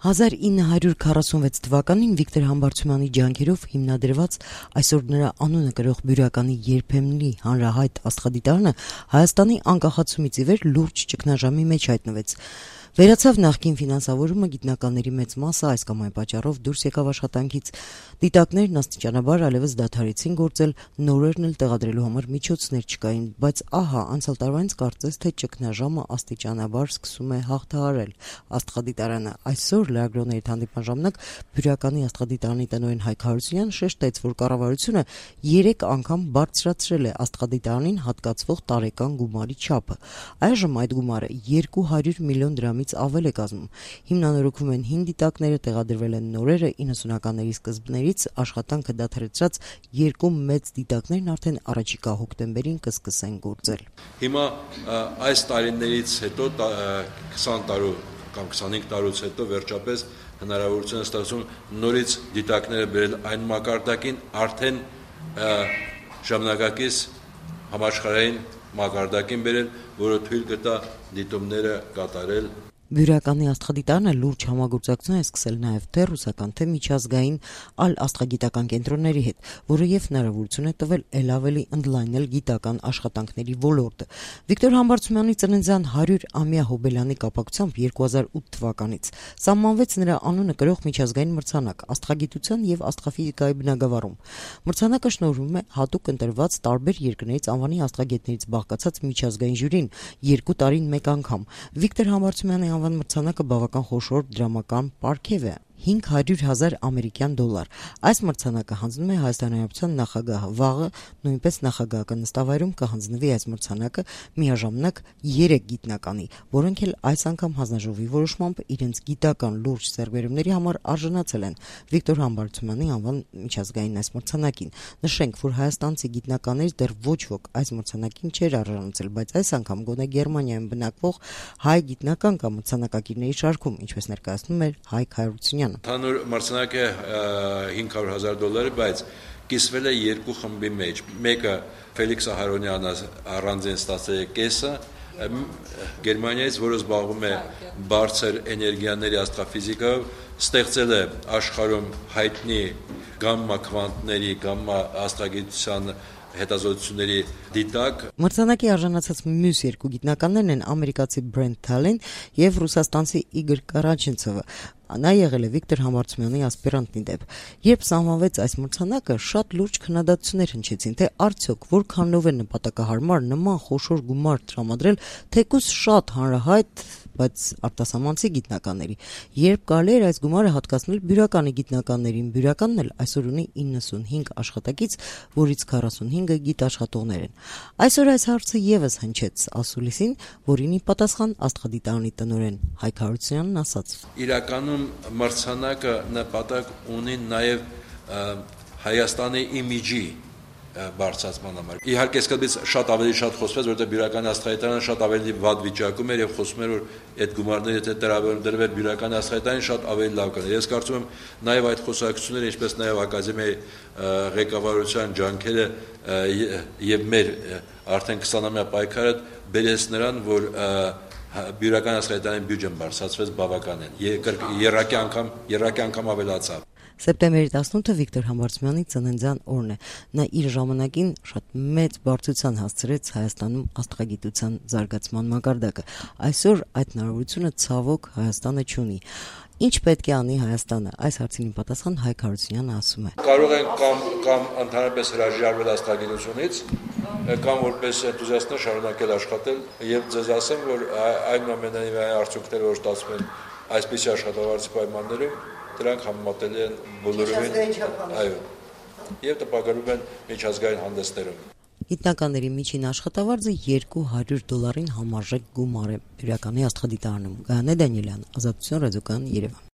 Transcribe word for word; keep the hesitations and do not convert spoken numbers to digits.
հազար ինը հարյուր քառասունվեց թվականին Վիկտոր Համբարձումյանի ջանքերով հիմնադրված այսօր նրա անունը կրող բյուրականի երբեմնի հանրահայտ աստղադիտարանը Հայաստանի անկախացումից ի վեր լուրջ ճգնաժամի մեջ հայտնվեց։ Վերացավ նախկին ֆինանսավորումը, գիտնականների մեծ մասը այս կամ այն պատճառով դուրս եկավ աշխատանքից, դիտակներն աստիճանաբար այլևս դադարեցին գործել, նորերն էլ տեղադրելու համար միջոցներ չկային, բայց ահա անցյալ տարվանից կարծես թե ճգնաժամը աստիճանաբար սկսում է հաղթահարել աստղադիտարանը։ Այսօր լրագրողների հանդիպման ժամանակ բյուրականի աստղադիտարանի տնօրեն Հայկ Հարությունյանը շեշտեց, որ կառավարությունը երեք անգամ բարձրացրել է աստղադիտարանին հատկացվող տարեկան գումարի չափը։ Այժմ այդ գումարը երկու հարյուր միլիոն դրամից ավել է կազմում։ Հիմնանորոգվում են հին դիտակները, տեղադրվել են նորերը, իննսունականների սկզբներից աշխատանքը դադարեցրած երկու մեծ դիտակներն արդեն առաջիկա հոկտեմբերին կսկսեն գործել։ Հիմա այս տարիներից հետո քսան տարու կամ քսանհինգ տարուց հետո վերջապես հնարավորություն է ստացվում նորից դիտակները բերել այն մակարդակին, արդեն ժամանակակից համաշխարհային մակարդակին բերել, որը թույլ կտա դիտումները կատարել։ Բյուրականի աստղադիտարանը լուրջ համագործակցություն է սկսել նաև թե ռուսական, թե միջազգային այլ աստղագիտական կենտրոնների հետ, որը եւ հնարավորություն է տվել ել ավելի ընդլայնել գիտական աշխատանքների ոլորտը։ Վիկտոր Համբարձումյանի ծննդյան հարյուր-ամյա հոբելյանի կապակցությամբ երկու հազար ութ թվականից սահմանվեց նրա անունը կրող միջազգային մրցանակ աստղագիտության եւ աստղաֆիզիկայի բնագավառում։ Մրցանակը շնորհվում է հատուկ ընտրված տարբեր երկրներից անվանի աստղագետներից բաղկացած միջազգային ժյուրին երկու տարին մեկ անգամ։ Վիկտոր Համբարձումյանի անվան մրցանակը բավական խոշոր դրամական պարգև է՝ հինգ հարյուր հազար ամերիկյան դոլար։ Այս մրցանակը հանձնում է Հայաստանի Հանրապետության նախագահը։ Վաղը նույնպես նախագահական նստավայրում կհանձնվի այս մրցանակը միաժամանակ երեք գիտնականի, որոնք էլ այս անգամ հանձնաժողովի որոշմամբ իրենց գիտական լուրջ ձեռքբերումների համար արժանացել են Վիկտոր Համբարձումյանի անվան միջազգային այս մրցանակին։ Նշենք, որ հայաստանցի գիտնականներից դեռ ոչ ոք այս մրցանակին չէր արժանացել, բայց այս անգամ գոնե Գերմանիայում բնակվող հայ գիտնական կամ մրցանակակիրների շարքում, ինչպես ներկայացնում էր Հայկ Հարությունյանը։ Հանուր մրցանակը հինգ հարյուր հազար դոլար է, բայց կիսվել է երկու խմբի մեջ։ Մեկը Ֆելիքս Ահարոնյանը առանձին ստացել է կեսը, Գերմանիայից, որը զբաղվում է բարձր էներգիաների աստղաֆիզիկայով, ստեղծել է աշխարհում հայտնի գամմա քվանտների, գամմա աստղագիտության հետազոտությունների դիտակ։ Մրցանակի արժանացած մյուս երկու գիտնականներն են ամերիկացի Բրենթ Թալեն եւ ռուսաստանցի Իգոր Կարաչենցովը։ Նա եղել է Վիկտոր Համբարձումյանի ասպիրանտն ի դեպ։ Երբ սահմանվեց այս մրցանակը, շատ լուրջ քննադատություններ հնչեցին, թե արդյոք որքանով է նպատակահարմար նման խոշոր գումար տրամադրել թեկուզ շատ հանրահայտ, բայց արտասահմանցի գիտնականների։ Երբ կարելի էր այս գումարը հատկացնել բյուրականի գիտնականներին, բյուրականն էլ այսօր ունի իննսունհինգ աշխատակից, որից քառասունհինգը գիտաշխատողներ են։ Այսօր այս հարցը եւս հնչեց ասուլիսին, որին ի պատասխան աստղադիտարանի տնօրեն Հայկ Հարությունյանն ասաց. Իրականում մրցանակը նպատակ ունի նաև Հայաստանի իմիջի բարձրացման համար։ Իհարկե սկզբից շատ ավելի շատ խոսվեց, որտեղ բյուրականի աստղադիտարանը շատ ավելի վատ վիճակում էր եւ խոսում էր, որ այդ գումարները եթե տրամադրվեր բյուրականի աստղադիտարանին շատ ավելի լավ կներ։ Ես կարծում եմ նաև այդ խոսակցությունները, ինչպես նաև ակադեմիայի ղեկավարության ջանքերը եւ մեր արդեն քսանամյա պայքարը բերեց նրան, որ բյուրականի աստղադիտարանի բյուջեն բարձրացվեց բավականին։ Երրակի անգամ, երրակի անգամ ավելացավ։ Սեպտեմբերի տասնութը Վիկտոր Համբարձումյանի ծննդյան օրն է։ Նա իր ժամանակին շատ մեծ բարձրության հասցրեց Հայաստանում աստղագիտության զարգացման մակարդակը։ Այսօր այդ հնարավորությունը ցավոք Հայաստանը չունի։ Ինչ պետք է անի Հայաստանը։ Այս հարցին պատասխան Հայկ Հարությունյանը ասում է. Կարող են կամ կամ ընդհանրապես հրաժարվել աստղագիտությունից, կամ որպես էնտուզիաստներ շարունակել աշխատել, եւ ձեզ ասեմ, որ այնուամենայնիվ այն արդյունքները, որ ստացվում են այսպիսի աշխատավարձի պայմաններում, դրանք համեմատելի են բոլորովին, այո, եւ տպագրվում են միջազգային հանդեսներում։ Գիտնականների միջին աշխատավարձը երկու հարյուր դոլարին համարժեք գումար է բյուրականի աստղադիտարանում։ Գայանե Դանիելյան, Ազատություն ռադիոկայան, Երևան։